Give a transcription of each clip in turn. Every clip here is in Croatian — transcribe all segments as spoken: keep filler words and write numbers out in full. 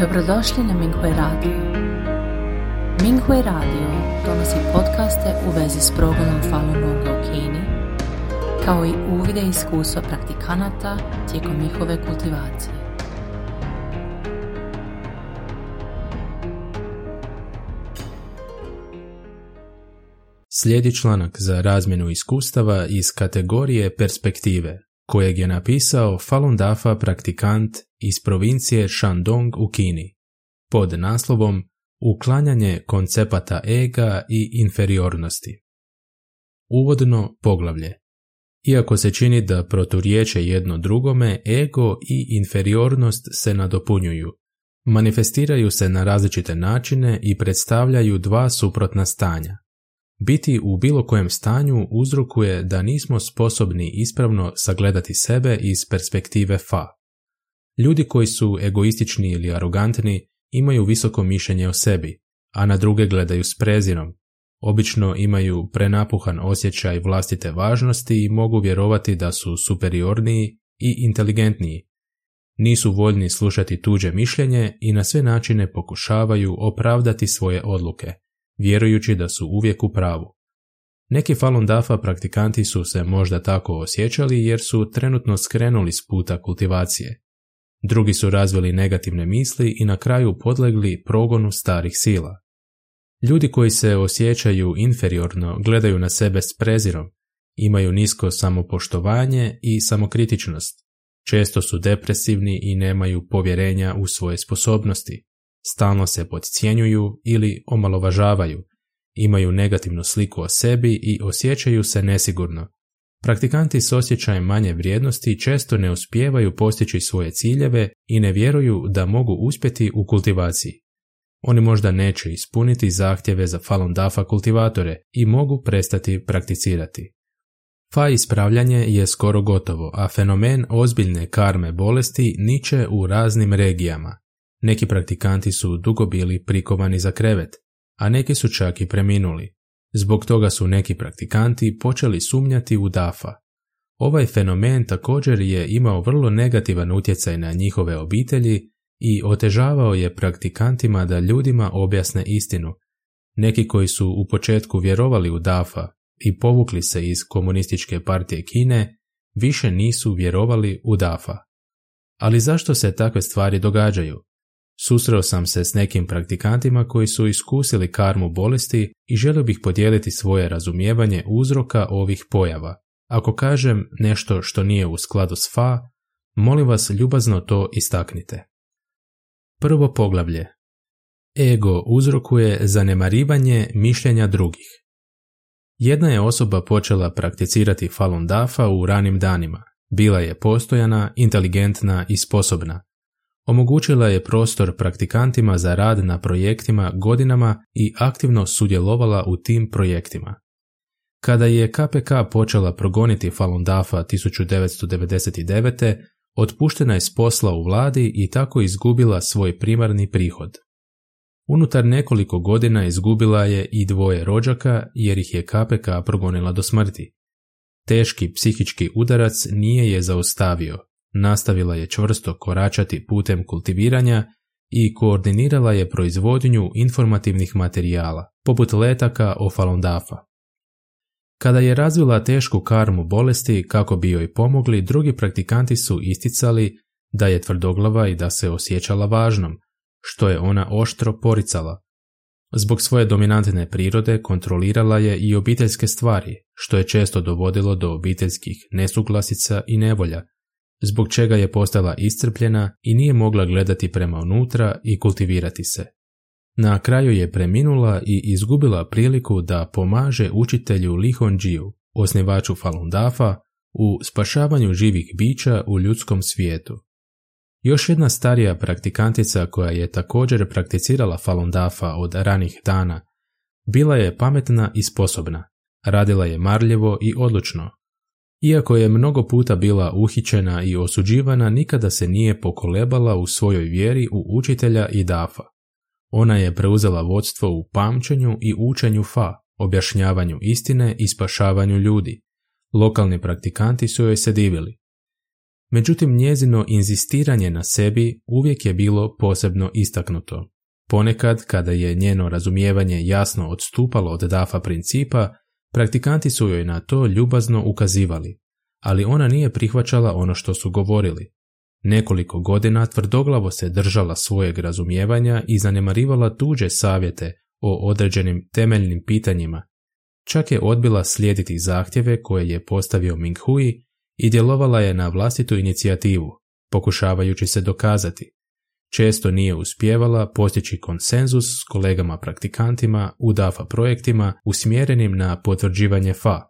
Dobrodošli na Minghui Radio. Minghui Radio donosi podcaste u vezi s progledom Falun Gonga u Kini, kao i uvide i iskustva praktikanata tijekom njihove kultivacije. Slijedi članak za razmjenu iskustava iz kategorije perspektive, kojeg je napisao Falun Dafa praktikant iz provincije Shandong u Kini, pod naslovom Uklanjanje koncepata ega i inferiornosti. Uvodno poglavlje. Iako se čini da proturječe jedno drugome, ego i inferiornost se nadopunjuju. Manifestiraju se na različite načine i predstavljaju dva suprotna stanja. Biti u bilo kojem stanju uzrokuje da nismo sposobni ispravno sagledati sebe iz perspektive fa. Ljudi koji su egoistični ili arogantni imaju visoko mišljenje o sebi, a na druge gledaju s prezirom. Obično imaju prenapuhan osjećaj vlastite važnosti i mogu vjerovati da su superiorniji i inteligentniji. Nisu voljni slušati tuđe mišljenje i na sve načine pokušavaju opravdati svoje odluke, vjerujući da su uvijek u pravu. Neki Falun Dafa praktikanti su se možda tako osjećali jer su trenutno skrenuli s puta kultivacije. Drugi su razvili negativne misli i na kraju podlegli progonu starih sila. Ljudi koji se osjećaju inferiorno gledaju na sebe s prezirom, imaju nisko samopoštovanje i samokritičnost. Često su depresivni i nemaju povjerenja u svoje sposobnosti. Stalno se podcjenjuju ili omalovažavaju, imaju negativnu sliku o sebi i osjećaju se nesigurno. Praktikanti s osjećajem manje vrijednosti često ne uspijevaju postići svoje ciljeve i ne vjeruju da mogu uspjeti u kultivaciji. Oni možda neće ispuniti zahtjeve za Falun Dafa kultivatore i mogu prestati prakticirati. Fa ispravljanje je skoro gotovo, a fenomen ozbiljne karme bolesti niče u raznim regijama. Neki praktikanti su dugo bili prikovani za krevet, a neki su čak i preminuli. Zbog toga su neki praktikanti počeli sumnjati u Dafa. Ovaj fenomen također je imao vrlo negativan utjecaj na njihove obitelji i otežavao je praktikantima da ljudima objasne istinu. Neki koji su u početku vjerovali u Dafa i povukli se iz komunističke partije Kine, više nisu vjerovali u Dafa. Ali zašto se takve stvari događaju? Susreo sam se s nekim praktikantima koji su iskusili karmu bolesti i želio bih podijeliti svoje razumijevanje uzroka ovih pojava. Ako kažem nešto što nije u skladu s fa, molim vas ljubazno to istaknite. Prvo poglavlje. Ego uzrokuje zanemarivanje mišljenja drugih. Jedna je osoba počela prakticirati Falun Dafa u ranim danima. Bila je postojana, inteligentna i sposobna. Omogućila je prostor praktikantima za rad na projektima godinama i aktivno sudjelovala u tim projektima. Kada je K P K počela progoniti Falun Dafa tisuću devetsto devedeset devete. otpuštena je s posla u vladi i tako izgubila svoj primarni prihod. Unutar nekoliko godina izgubila je i dvoje rođaka jer ih je K P K progonila do smrti. Teški psihički udarac nije je zaustavio. Nastavila je čvrsto koračati putem kultiviranja i koordinirala je proizvodnju informativnih materijala, poput letaka o Falun Dafa. Kada je razvila tešku karmu bolesti kako bi joj pomogli, drugi praktikanti su isticali da je tvrdoglava i da se osjećala važnom, što je ona oštro poricala. Zbog svoje dominantne prirode kontrolirala je i obiteljske stvari, što je često dovodilo do obiteljskih nesuglasica i nevolja, zbog čega je postala iscrpljena i nije mogla gledati prema unutra i kultivirati se. Na kraju je preminula i izgubila priliku da pomaže učitelju Li Hongjiu, osnivaču Falun Dafa, u spašavanju živih bića u ljudskom svijetu. Još jedna starija praktikantica koja je također prakticirala Falun Dafa od ranih dana, bila je pametna i sposobna, radila je marljivo i odlučno. Iako je mnogo puta bila uhićena i osuđivana, nikada se nije pokolebala u svojoj vjeri u učitelja i Dafa. Ona je preuzela vodstvo u pamćenju i učenju fa, objašnjavanju istine i spašavanju ljudi. Lokalni praktikanti su joj se divili. Međutim, njezino inzistiranje na sebi uvijek je bilo posebno istaknuto. Ponekad, kada je njeno razumijevanje jasno odstupalo od Dafa principa, praktikanti su joj na to ljubazno ukazivali, ali ona nije prihvaćala ono što su govorili. Nekoliko godina tvrdoglavo se držala svojeg razumijevanja i zanemarivala tuđe savjete o određenim temeljnim pitanjima. Čak je odbila slijediti zahtjeve koje je postavio Ming Hui i djelovala je na vlastitu inicijativu, pokušavajući se dokazati. Često nije uspijevala postići konsenzus s kolegama praktikantima u Dafa projektima usmjerenim na potvrđivanje Fa,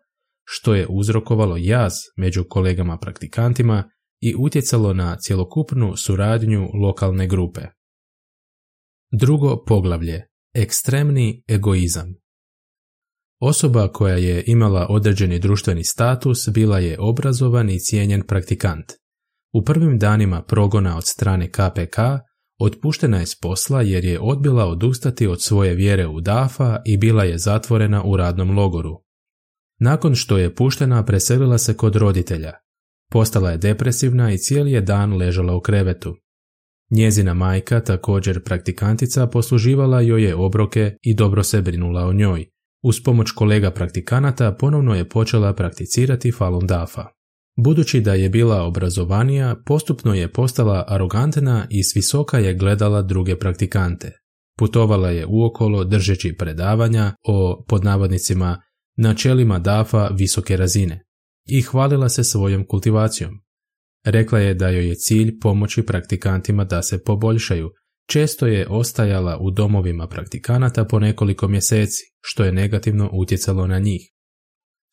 što je uzrokovalo jaz među kolegama praktikantima i utjecalo na cjelokupnu suradnju lokalne grupe. Drugo poglavlje. Ekstremni egoizam. Osoba koja je imala određeni društveni status bila je obrazovan i cijenjen praktikant. U prvim danima progona od strane K P K otpuštena je s posla jer je odbila odustati od svoje vjere u Dafa i bila je zatvorena u radnom logoru. Nakon što je puštena, preselila se kod roditelja. Postala je depresivna i cijeli je dan ležala u krevetu. Njezina majka, također praktikantica, posluživala joj je obroke i dobro se brinula o njoj. Uz pomoć kolega praktikanata ponovno je počela prakticirati Falun Dafa. Budući da je bila obrazovanija, postupno je postala arogantna i svisoka je gledala druge praktikante. Putovala je uokolo držeći predavanja o, pod navodnicima, načelima Dafa visoke razine i hvalila se svojom kultivacijom. Rekla je da joj je cilj pomoći praktikantima da se poboljšaju. Često je ostajala u domovima praktikanata po nekoliko mjeseci, što je negativno utjecalo na njih.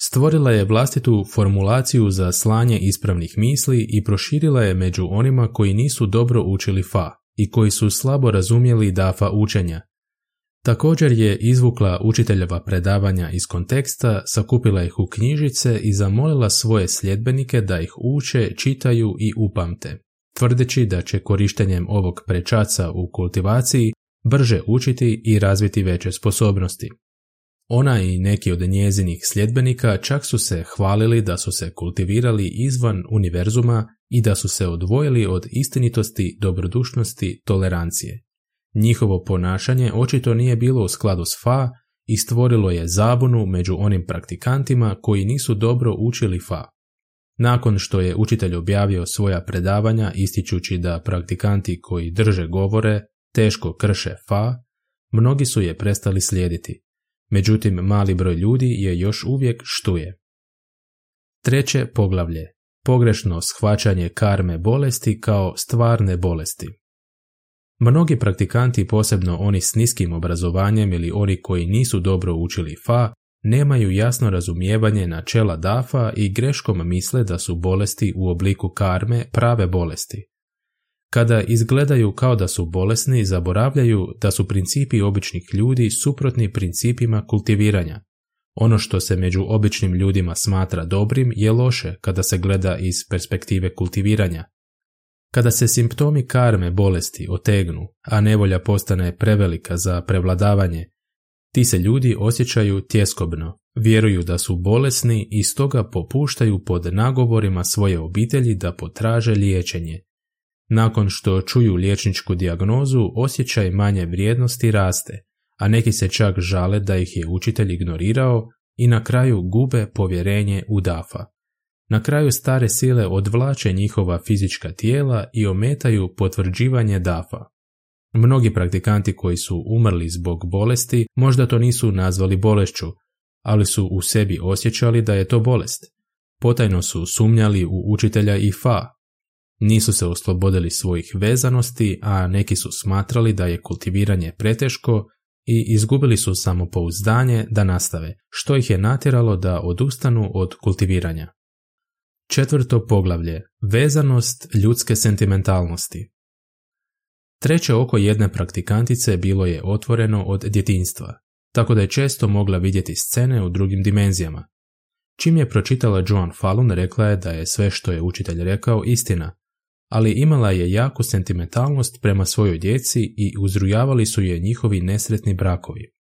Stvorila je vlastitu formulaciju za slanje ispravnih misli i proširila je među onima koji nisu dobro učili Fa i koji su slabo razumjeli Dafa učenja. Također je izvukla učiteljeva predavanja iz konteksta, sakupila ih u knjižice i zamolila svoje sljedbenike da ih uče, čitaju i upamte, tvrdeći da će korištenjem ovog prečaca u kultivaciji brže učiti i razviti veće sposobnosti. Ona i neki od njezinih sljedbenika čak su se hvalili da su se kultivirali izvan univerzuma i da su se odvojili od istinitosti, dobrodušnosti, tolerancije. Njihovo ponašanje očito nije bilo u skladu s Fa i stvorilo je zabunu među onim praktikantima koji nisu dobro učili Fa. Nakon što je učitelj objavio svoja predavanja ističući da praktikanti koji drže govore teško krše Fa, mnogi su je prestali slijediti. Međutim, mali broj ljudi je još uvijek štuje. Treće poglavlje. Pogrešno shvaćanje karme bolesti kao stvarne bolesti. Mnogi praktikanti, posebno oni s niskim obrazovanjem ili oni koji nisu dobro učili Fa, nemaju jasno razumijevanje načela Dafa i greškom misle da su bolesti u obliku karme prave bolesti. Kada izgledaju kao da su bolesni, zaboravljaju da su principi običnih ljudi suprotni principima kultiviranja. Ono što se među običnim ljudima smatra dobrim je loše kada se gleda iz perspektive kultiviranja. Kada se simptomi karme bolesti otegnu, a nevolja postane prevelika za prevladavanje, ti se ljudi osjećaju tjeskobno, vjeruju da su bolesni i stoga popuštaju pod nagovorima svoje obitelji da potraže liječenje. Nakon što čuju liječničku dijagnozu, osjećaj manje vrijednosti raste, a neki se čak žale da ih je učitelj ignorirao i na kraju gube povjerenje u Dafa. Na kraju stare sile odvlače njihova fizička tijela i ometaju potvrđivanje Dafa. Mnogi praktikanti koji su umrli zbog bolesti možda to nisu nazvali bolešću, ali su u sebi osjećali da je to bolest. Potajno su sumnjali u učitelja i Fa. Nisu se oslobodili svojih vezanosti, a neki su smatrali da je kultiviranje preteško i izgubili su samopouzdanje da nastave, što ih je natjeralo da odustanu od kultiviranja. Četvrto poglavlje. Vezanost ljudske sentimentalnosti. Treće oko jedne praktikantice bilo je otvoreno od djetinjstva, tako da je često mogla vidjeti scene u drugim dimenzijama. Čim je pročitala Joan Falun, rekla je da je sve što je učitelj rekao istina, ali imala je jaku sentimentalnost prema svojoj djeci i uzrujavali su je njihovi nesretni brakovi.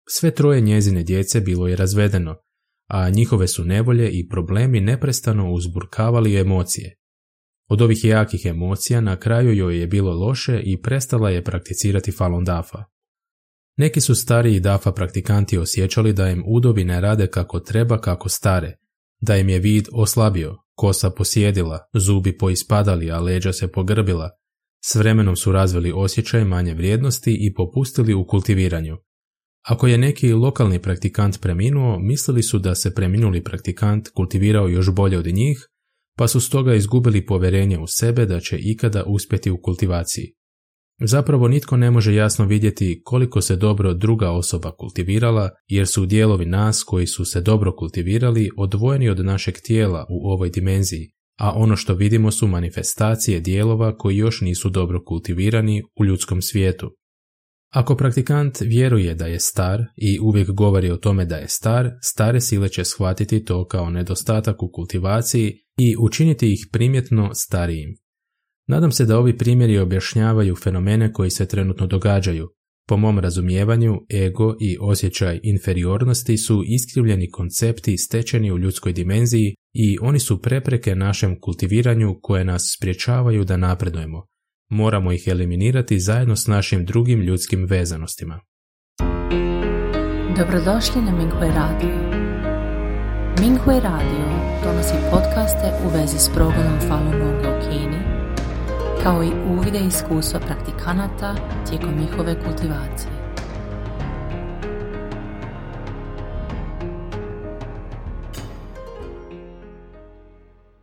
Sve troje njezine djece bilo je razvedeno, a njihove su nevolje i problemi neprestano uzburkavali emocije. Od ovih jakih emocija na kraju joj je bilo loše i prestala je prakticirati Falun Dafa. Neki su stariji Dafa praktikanti osjećali da im udovi ne rade kako treba kako stare, da im je vid oslabio, kosa posjedila, zubi poispadali, a leđa se pogrbila. S vremenom su razvili osjećaj manje vrijednosti i popustili u kultiviranju. Ako je neki lokalni praktikant preminuo, mislili su da se preminuli praktikant kultivirao još bolje od njih, pa su stoga izgubili povjerenje u sebe da će ikada uspjeti u kultivaciji. Zapravo nitko ne može jasno vidjeti koliko se dobro druga osoba kultivirala, jer su dijelovi nas koji su se dobro kultivirali odvojeni od našeg tijela u ovoj dimenziji, a ono što vidimo su manifestacije dijelova koji još nisu dobro kultivirani u ljudskom svijetu. Ako praktikant vjeruje da je star i uvijek govori o tome da je star, stare sile će shvatiti to kao nedostatak u kultivaciji i učiniti ih primjetno starijim. Nadam se da ovi primjeri objašnjavaju fenomene koji se trenutno događaju. Po mom razumijevanju, ego i osjećaj inferiornosti su iskrivljeni koncepti stečeni u ljudskoj dimenziji i oni su prepreke našem kultiviranju koje nas sprječavaju da napredujemo. Moramo ih eliminirati zajedno s našim drugim ljudskim vezanostima. Dobrodošli na Minghui Radio. Minghui Radio donosi podcaste u vezi s progledom Falun Gonga u Kini, kao i uvide iskustva praktikanata tijekom njihove kultivacije.